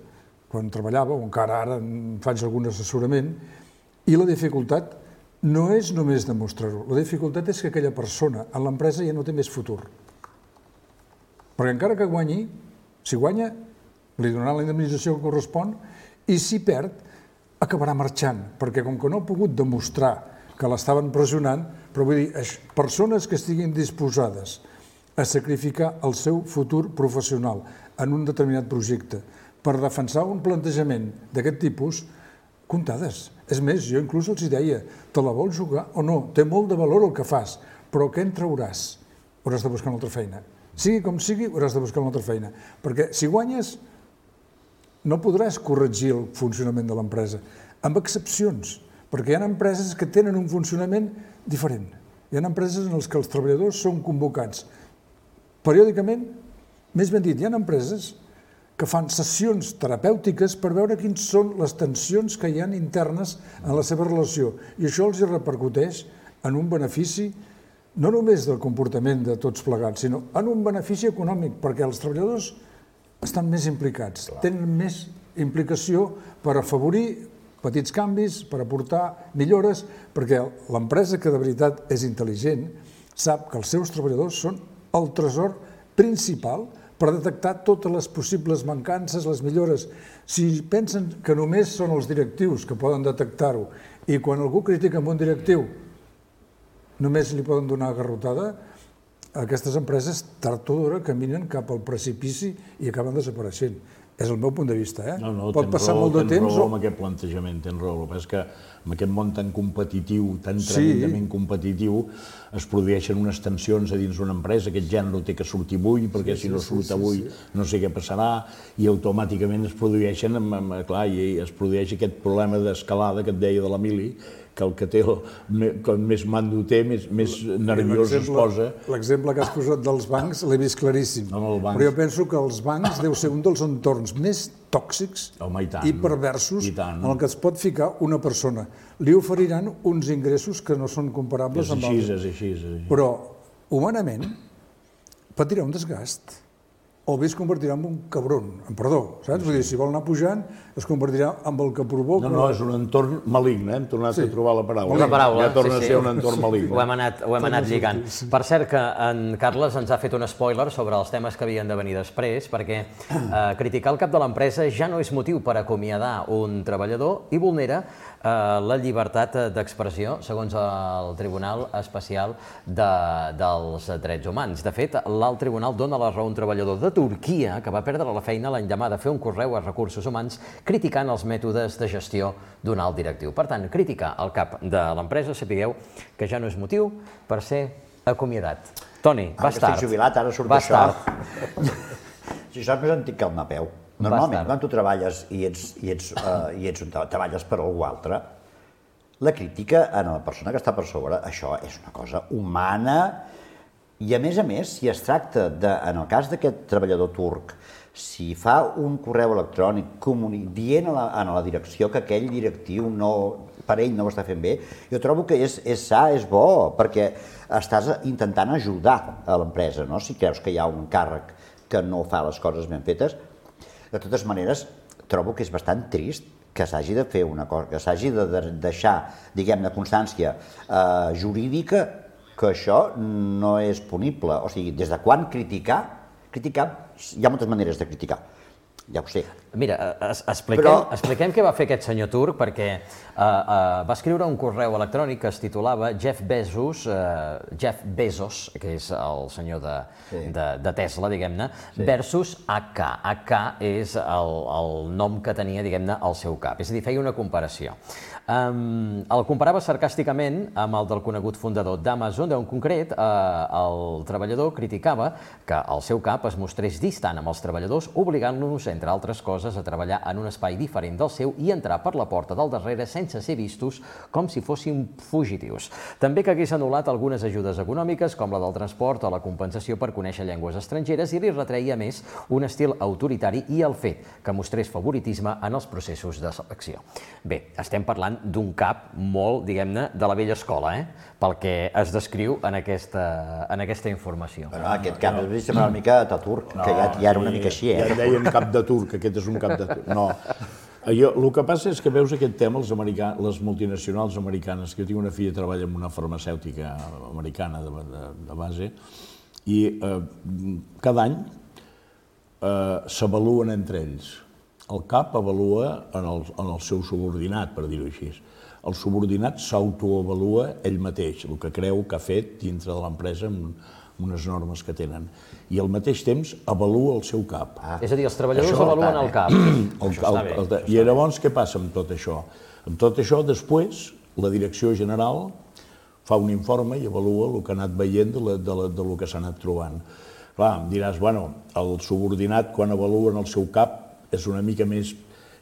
quan treballava, o encara ara faig algun assessorament, i la dificultat no és només demostrar-ho, la dificultat és que aquella persona en l'empresa ja no té més futur. Perquè encara que guanyi, si guanya, li donaran la indemnització que correspon, i si perd, acabarà marxant, perquè com que no ha pogut demostrar que l'estaven pressionant, però vull dir, persones que estiguin disposades a sacrificar el seu futur professional en un determinat projecte per defensar un plantejament d'aquest tipus, comptades. És més, jo inclús els deia, te la vols jugar o no? Té molt de valor el que fas, però què en trauràs? Hauràs de buscar una altra feina. sigui com sigui, hauràs de buscar una altra feina. Perquè si guanyes, no podràs corregir el funcionament de l'empresa, amb excepcions, perquè hi ha empreses que tenen un funcionament diferent. Hi ha empreses en les que els treballadors són convocats periòdicament, més ben dit, hi ha empreses que fan sessions terapèutiques per veure quins són les tensions que hi ha internes en la seva relació. I això els repercuteix en un benefici, no només del comportament de tots plegats, sinó en un benefici econòmic, perquè els treballadors estan més implicats, tenen més implicació per afavorir petits canvis, per aportar millores, perquè l'empresa que de veritat és intel·ligent sap que els seus treballadors són el tresor principal per detectar totes les possibles mancances, les millores. Si pensen que només són els directius que poden detectar-ho i quan algú critica amb un directiu només li poden donar garrotada, aquestes empreses tard o d'hora caminen cap al precipici i acaben desapareixent. És el meu punt de vista, eh? No, no, pot passar molt de temps... Tens raó amb aquest plantejament, tens raó. El que és que amb aquest món tan competitiu, tan tremendament competitiu, es produeixen unes tensions a dins d'una empresa, aquest gènere té que sortir avui, perquè si no surt avui no sé què passarà, i automàticament es produeixen, clar, i es produeix aquest problema d'escalada que et deia de l'Emili, que el que té, com més mando té, més nerviós es posa. L'exemple que has posat dels bancs l'he vist claríssim, però jo penso que els bancs deu ser un dels entorns més tòxics i perversos en el que es pot ficar una persona. Li oferiran uns ingressos que no són comparables amb altres. És així, és així. Però, humanament, patirà un desgast. O bé es convertirà en un cabron, en perdó, saps? Vull dir, si vol anar pujant, es convertirà en el que provoca... No, no, és un entorn maligne, hem tornat a trobar la paraula. La paraula, ja torna a ser un entorn maligne. Ho hem anat, ho hem anat lligant. Per cert, que en Carles ens ha fet un spoiler sobre els temes que havien de venir després, perquè eh, criticar el cap de l'empresa ja no és motiu per acomiadar un treballador i vulnera eh, la llibertat d'expressió, segons el Tribunal Especial de, dels Drets Humans. De fet, l'alt tribunal dona la raó a un treballador de Turquia, que va perdre la feina l'endemà de fer un correu a Recursos Humans criticant els mètodes de gestió d'un alt directiu. Per tant, criticar el cap de l'empresa, sapigueu que ja no és motiu per ser acomiadat. Toni, vas tard. Estic jubilat, ara surt això. Si això és més antic que el Napeu. Normalment, quan tu treballes i ets, i ets, uh, i ets un, treballes per algú altre, la crítica a la persona que està per sobre, això és una cosa humana. I a més a més, si es tracta de, en el cas d'aquest treballador turc, si fa un correu electrònic dient a la, a la direcció que aquell directiu no, per ell no ho està fent bé, jo trobo que és, és sa, és bo, perquè estàs intentant ajudar a l'empresa, no? Si creus que hi ha un càrrec que no fa les coses ben fetes. De totes maneres, trobo que és bastant trist que s'hagi de fer una cosa, que s'hagi de deixar, diguem-ne, constància eh, jurídica que això no és punible. O sigui, des de quan criticar? Criticar, hi ha moltes maneres de criticar, ja ho sé. Mira, es, expliquem, Però... expliquem què va fer aquest senyor turc, perquè uh, uh, va escriure un correu electrònic que es titulava Jeff Bezos, uh, Jeff Bezos, que és el senyor de, sí. de, de Tesla, diguem-ne, sí. versus A K. A K és el, el nom que tenia, diguem-ne, al seu cap. És a dir, feia una comparació. Um, el comparava sarcàsticament amb el del conegut fundador d'Amazon, on en concret eh, el treballador criticava que el seu cap es mostrés distant amb els treballadors, obligant-los, entre altres coses, a treballar en un espai diferent del seu i entrar per la porta del darrere sense ser vistos com si fossin fugitius. També que hagués anul·lat algunes ajudes econòmiques, com la del transport o la compensació per conèixer llengües estrangeres, i li retreia més un estil autoritari i el fet que mostrés favoritisme en els processos de selecció. Bé, estem parlant d'un cap molt, diguem-ne, de la vella escola, eh? Pel que es descriu en aquesta, en aquesta informació. Però aquest cap es sembla una mica Ataturk, que ja, ja era una mica així, eh? Ja en deien cap de turc, aquest és un cap de turc. No. Jo, el que passa és que veus aquest tema, els americà, les multinacionals americanes, que jo tinc una filla que treballa en una farmacèutica americana de, de, de base, i eh, cada any eh, s'avaluen entre ells. El cap avalua en el, en el seu subordinat, per dir-ho així. El subordinat s'autoavalua ell mateix, el que creu que ha fet dintre de l'empresa amb unes normes que tenen. I al mateix temps avalua el seu cap. Ah. És a dir, els treballadors això avaluen el cap. El, el, el, el, I llavors què passa amb tot això? Amb tot això, després, la direcció general fa un informe i avalua el que ha anat veient de, la, de, la, de lo que s'ha anat trobant. Clar, em diràs, bueno, el subordinat quan avaluen el seu cap és una mica més,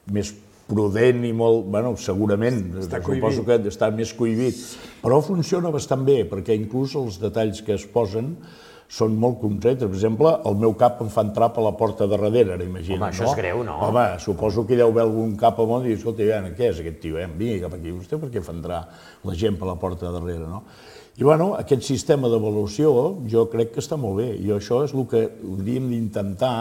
més prudent i molt, bueno, segurament, suposo que està més cohibit, però funciona bastant bé, perquè inclús els detalls que es posen són molt concrets. Per exemple, el meu cap em fa entrar per la porta de darrere, ara imagina't. Home, això és greu, no? Home, suposo que hi deu haver algun cap al món i dius, escolta, què és aquest tio? Vingui cap aquí, vostè per què fa entrar la gent per la porta de darrere, no? I, bueno, aquest sistema d'avaluació jo crec que està molt bé, i això és el que hauríem d'intentar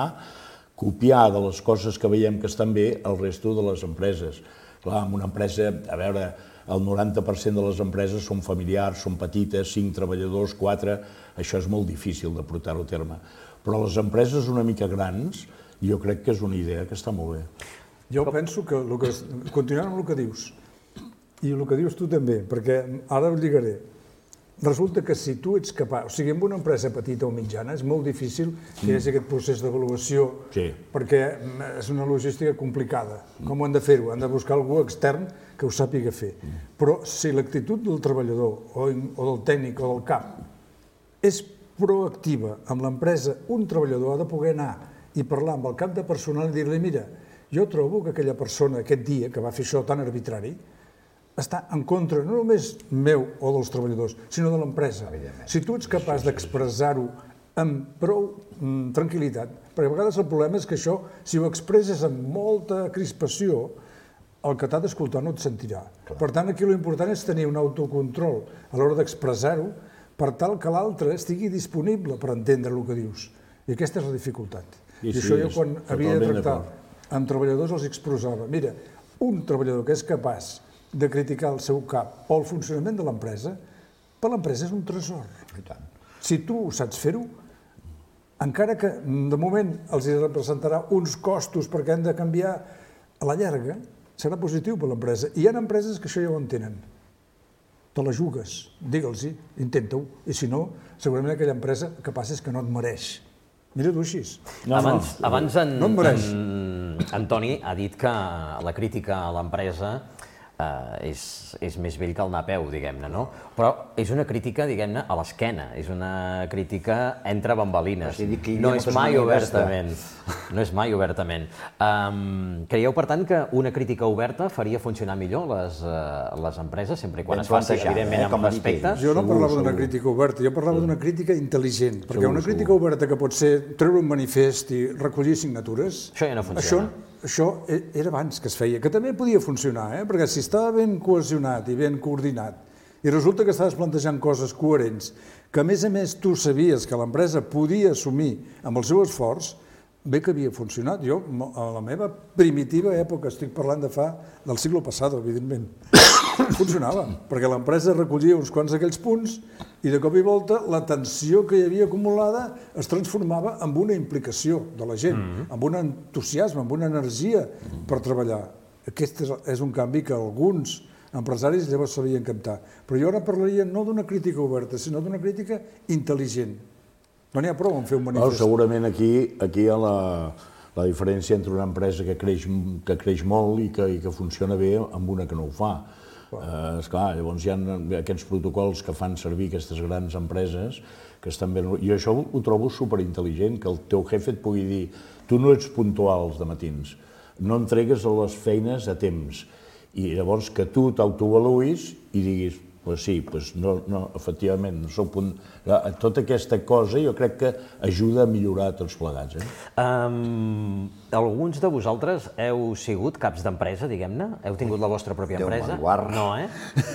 copiar de les coses que veiem que estan bé al resto de les empreses. Clar, en una empresa, a veure, el noranta per cent de les empreses són familiars, són petites, cinc treballadors, quatre, això és molt difícil de portar-ho a terme. Però les empreses una mica grans, jo crec que és una idea que està molt bé. Jo penso que, el que continuant amb el que dius, i el que dius tu també, perquè ara ho lligaré, resulta que si tu ets capaç, o sigui, en una empresa petita o mitjana és molt difícil que hi hagi aquest procés d'avaluació, perquè és una logística complicada. Com ho han de fer-ho? Han de buscar algú extern que ho sàpiga fer. Però si l'actitud del treballador o del tècnic o del cap és proactiva amb l'empresa, un treballador ha de poder anar i parlar amb el cap de personal i dir-li, mira, jo trobo que aquella persona aquest dia que va fer això tan arbitrari està en contra no només meu o dels treballadors, sinó de l'empresa. Si tu ets capaç d'expressar-ho amb prou tranquil·litat, perquè a vegades el problema és que això, si ho expresses amb molta crispació, el que t'ha d'escoltar no et sentirà. Per tant, aquí l'important és tenir un autocontrol a l'hora d'expressar-ho per tal que l'altre estigui disponible per entendre el que dius. I aquesta és la dificultat. I això jo quan havia de tractar amb treballadors els expressava. Mira, un treballador que és capaç de criticar el seu cap o el funcionament de l'empresa, per l'empresa és un tresor. Si tu saps fer-ho, encara que de moment els representarà uns costos perquè han de canviar, a la llarga serà positiu per l'empresa. I hi ha empreses que això ja ho entenen. Te la jugues, digue'ls-hi, intenta-ho, i si no, segurament aquella empresa el que passa és que no et mereix. Mira-t'ho així. Abans en Toni ha dit que la crítica a l'empresa és més vell que el anar a peu, diguem-ne, no? Però és una crítica, diguem-ne, a l'esquena, és una crítica entre bambalines, no és mai obertament, no és mai obertament. Creieu, per tant, que una crítica oberta faria funcionar millor les empreses, sempre i quan es faci, evidentment, amb respecte? Jo no parlava d'una crítica oberta, jo parlava d'una crítica intel·ligent, perquè una crítica oberta que pot ser treure un manifest i recollir signatures... Això ja no funciona. Això era abans que es feia, que també podia funcionar, perquè si estava ben cohesionat i ben coordinat i resulta que estaves plantejant coses coherents, que a més a més tu sabies que l'empresa podia assumir amb el seu esforç, bé que havia funcionat. Jo, a la meva primitiva època, estic parlant de fa del segle passat, evidentment, funcionava, perquè l'empresa recollia uns quants d'aquells punts i de cop i volta la tensió que hi havia acumulada es transformava en una implicació de la gent, amb un entusiasme, amb una energia per treballar. Aquest és un canvi que alguns empresaris llavors sabien captar. Però jo ara parlaria no d'una crítica oberta, sinó d'una crítica intel·ligent. No n'hi ha prou en fer un manifest. Segurament aquí hi ha la diferència entre una empresa que creix molt i que funciona bé amb una que no ho fa. Esclar, llavors hi ha aquests protocols que fan servir aquestes grans empreses que estan bé... I això ho trobo superintel·ligent, que el teu jefe et pugui dir tu no ets puntual els dematins, no entregues les feines a temps, i llavors que tu t'autoavaluïs i diguis pues sí, pues no, no, efectivament, no sóc punt... Tota aquesta cosa jo crec que ajuda a millorar tots plegats. Alguns de vosaltres heu sigut caps d'empresa, diguem-ne? Heu tingut la vostra pròpia empresa? No, eh?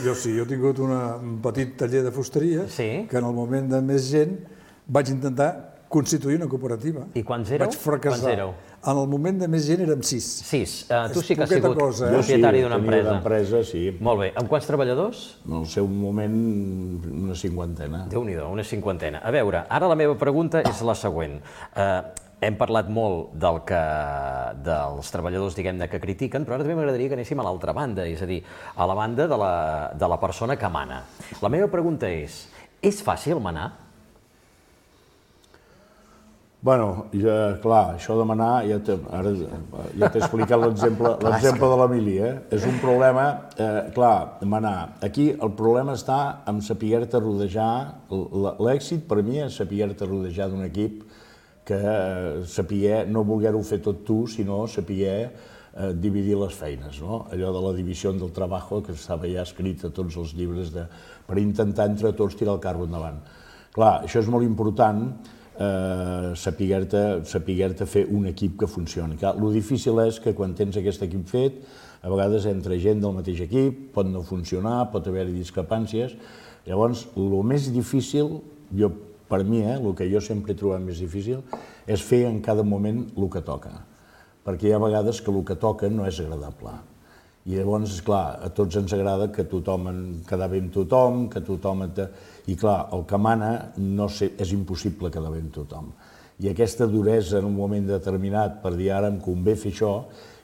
Jo sí, jo he tingut un petit taller de fusteria que en el moment de més gent vaig intentar constituir una cooperativa. I quants éreu? Vaig fracassar. En el moment de més gent érem sis. Sis. Tu sí que has sigut propietari d'una empresa. Tenia empresa, sí. Molt bé. Amb quants treballadors? En el seu moment, una cinquantena. Déu-n'hi-do, una cinquantena. A veure, ara la meva pregunta és la següent. Hem parlat molt dels treballadors, diguem-ne, que critiquen, però ara també m'agradaria que anéssim a l'altra banda, és a dir, a la banda de la persona que mana. La meva pregunta és, és fàcil manar? Bueno, clar, això de manar, ara ja t'he explicat l'exemple de l'Emili, és un problema, clar, manar. Aquí el problema està en saber-te rodejar, l'èxit per mi és saber-te rodejar d'un equip que saber no voler-ho fer tot tu, sinó saber dividir les feines, no? Allò de la divisió del treball que estava ja escrit a tots els llibres per intentar entre tots tirar el carro endavant. Clar, això és molt important, saber-te fer un equip que funcioni. El difícil és que quan tens aquest equip fet, a vegades entra gent del mateix equip, pot no funcionar, pot haver-hi discrepàncies. Llavors, el més difícil, jo, per mi, el que jo sempre he trobat més difícil, és fer en cada moment el que toca. Perquè hi ha vegades que el que toca no és agradable. I llavors, esclar, a tots ens agrada que tothom quedar bé amb tothom, que tothom... I clar, el que mana és impossible quedar bé amb tothom. I aquesta duresa en un moment determinat per dir ara em convé fer això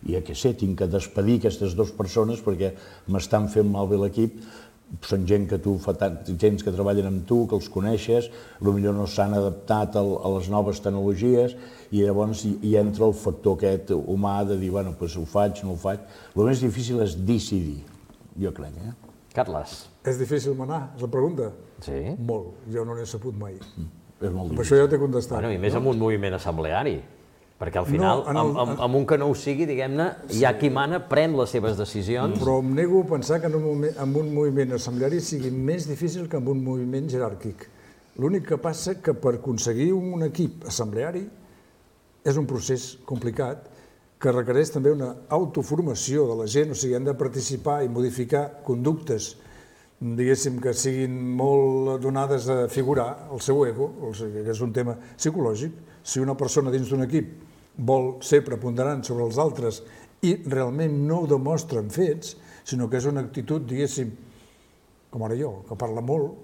i que sé, tinc que despedir aquestes dues persones perquè m'estan fent malbé l'equip, són gent que tu, gens que treballen amb tu, que els coneixes, potser no s'han adaptat a les noves tecnologies i llavors hi entra el factor aquest humà de dir, bueno, doncs ho faig, no ho faig. El més difícil és decidir, jo crec, eh? Carles. És difícil manar, és la pregunta? Sí. Molt, jo no n'he sabut mai. És molt difícil. Per això ja t'he contestat. Bueno, i més amb un moviment assembleari. Perquè al final, amb un que no ho sigui, diguem-ne, hi ha qui mana, pren les seves decisions. Però em nego a pensar que en un moviment assembleari sigui més difícil que en un moviment jeràrquic. L'únic que passa que per aconseguir un equip assembleari és un procés complicat que requereix també una autoformació de la gent, o sigui, han de participar i modificar conductes, diguéssim, que siguin molt donades a figurar el seu ego, o sigui, que és un tema psicològic. Si una persona dins d'un equip vol ser preponderant sobre els altres i realment no ho demostra en fets, sinó que és una actitud, diguéssim, com ara jo, que parla molt,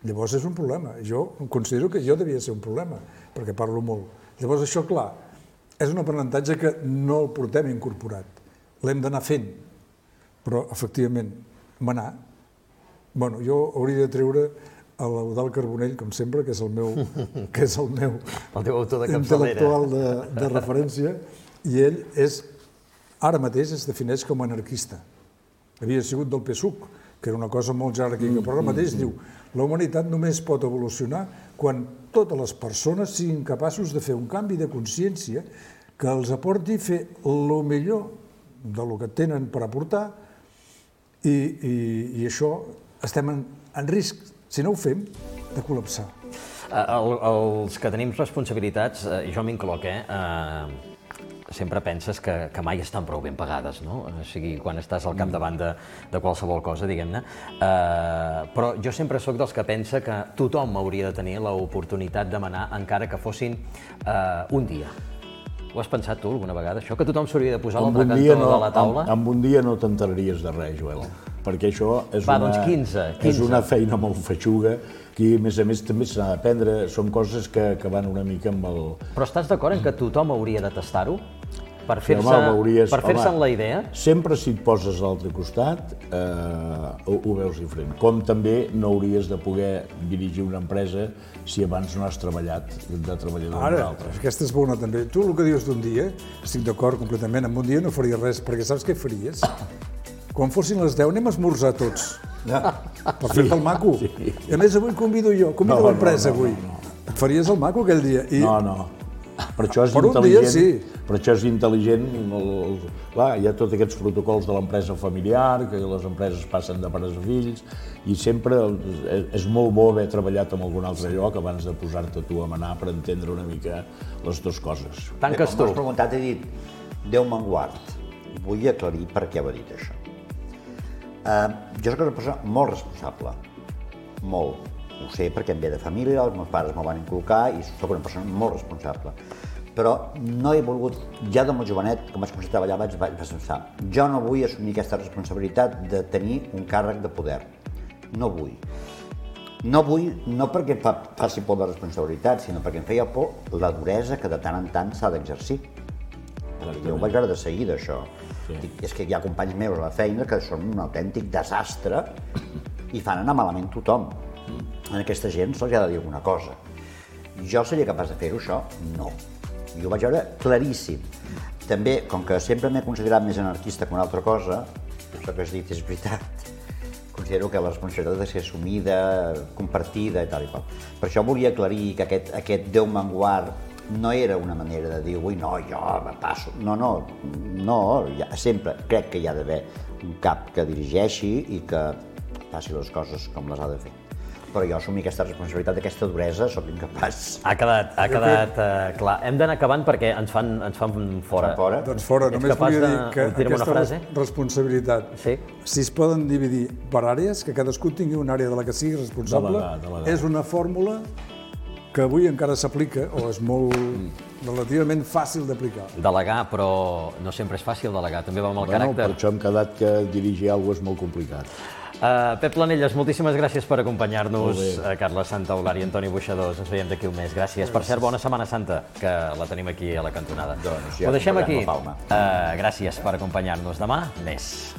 llavors és un problema. Jo considero que jo devia ser un problema, perquè parlo molt. Llavors això, clar, és un aprenentatge que no el portem incorporat. L'hem d'anar fent, però, efectivament, manar. Bueno, jo hauria de treure a l'Eudald Carbonell, com sempre, que és el meu, que és el meu intel·lectual de, de referència, i ell és, ara mateix es defineix com a anarquista. Havia sigut del P SUC, que era una cosa molt jeràrquica, però ara mateix diu la humanitat només pot evolucionar quan totes les persones siguin capaços de fer un canvi de consciència que els aporti fer el millor del que tenen per aportar i, i, i això estem en, en risc, si no ho fem, de col·lapsar. El, els que tenim responsabilitats, eh, jo m'incloc, eh, eh, sempre penses que, que mai estan prou ben pagades, no? O sigui, quan estàs al capdavant de, de qualsevol cosa, diguem-ne. Eh, però jo sempre sóc dels que pensa que tothom hauria de tenir l'oportunitat de manar, encara que fossin eh, un dia. Ho has pensat tu alguna vegada, això? Que tothom s'hauria de posar a l'altre cantó no, de la taula? En, en un dia no t'enteraries de res, Joel, perquè això és, Va, una, doncs quinze, quinze. és una feina molt feixuga, que a més a més també s'ha d'aprendre, són coses que, que van una mica amb el... Però estàs d'acord en que tothom hauria de tastar-ho? Per Sí, fer-se'n home, veuries- per fer-se'n home, la idea? Sempre si et poses a l'altre costat eh, ho, ho veus diferent. Com també no hauries de poder dirigir una empresa si abans no has treballat de treballador amb Ara, l'altre. aquesta és bona també. Tu el que dius d'un dia, estic d'acord completament, en un dia no faries res, perquè saps què faries? Quan fossin les deu anem a esmorzar tots. Per fer-te el maco. I a més avui convido jo, convido No, no, l'empresa no, avui. no, Et faries el maco aquell dia. I No, no. Per això és Per un dia, intel·ligent, sí. per això és intel·ligent, el, el, clar, hi ha tots aquests protocols de l'empresa familiar, que les empreses passen de pares a fills, i sempre és, és molt bo haver treballat en algun altre lloc abans de posar-te tu a manar per entendre una mica les dues coses. Tanques Bé, tu. com m'has preguntat, he dit, Déu me'n guard. Vull aclarir per què ho he dit això. Uh, jo soc una persona molt responsable, molt. Ho sé perquè em ve de família, els meus pares m'ho van inculcar i soc una persona molt responsable. Però no he volgut, ja de molt jovenet, com vaig començar a treballar, vaig, vaig pensar, jo no vull assumir aquesta responsabilitat de tenir un càrrec de poder. No vull. No vull, no perquè fa, faci por de responsabilitat, sinó perquè em feia por la duresa que de tant en tant s'ha d'exercir. Jo ho vaig veure de seguida, això. Sí. Dic, és que hi ha companys meus a la feina que són un autèntic desastre i fan anar malament tothom. A aquesta gent se'ls ha de dir alguna cosa. Jo seria capaç de fer-ho, això? No. Jo ho vaig veure claríssim. També, com que sempre m'he considerat més anarquista que una altra cosa, això que has dit és veritat, considero que la responsabilitat ha de ser assumida, compartida i tal i qual. Per això volia aclarir que aquest, aquest Déu me'n guard no era una manera de dir, ui, no, jo me passo. No, no, no, ja, sempre crec que hi ha d'haver un cap que dirigeixi i que faci les coses com les ha de fer. Però jo assumir aquesta responsabilitat, aquesta duresa, sóc incapaç. Ha quedat, ha quedat uh, clar. Hem d'anar acabant perquè ens fan, ens fan fora. Fora? Doncs fora, Ets només capaç volia de dir que dir-me una aquesta frase? responsabilitat, Sí. si es poden dividir per àrees, que cadascú tingui una àrea de la que sigui responsable, Delegar, delegar. és una fórmula que avui encara s'aplica, o és molt relativament fàcil d'aplicar. Delegar, però no sempre és fàcil delegar, també va amb el Bueno, per caràcter. això hem quedat que dirigir alguna cosa és molt complicat. Uh, Pep Planelles, moltíssimes gràcies per Molt acompanyar-nos, bé. uh, Carles Santaolari i Antoni Buixadors. Ens veiem d'aquí un mes. Gràcies. Per cert, bona Setmana Santa, que la tenim aquí a la cantonada. Doncs ja Ho deixem comprarem aquí. la Palma. Uh, gràcies per acompanyar-nos. Demà, més.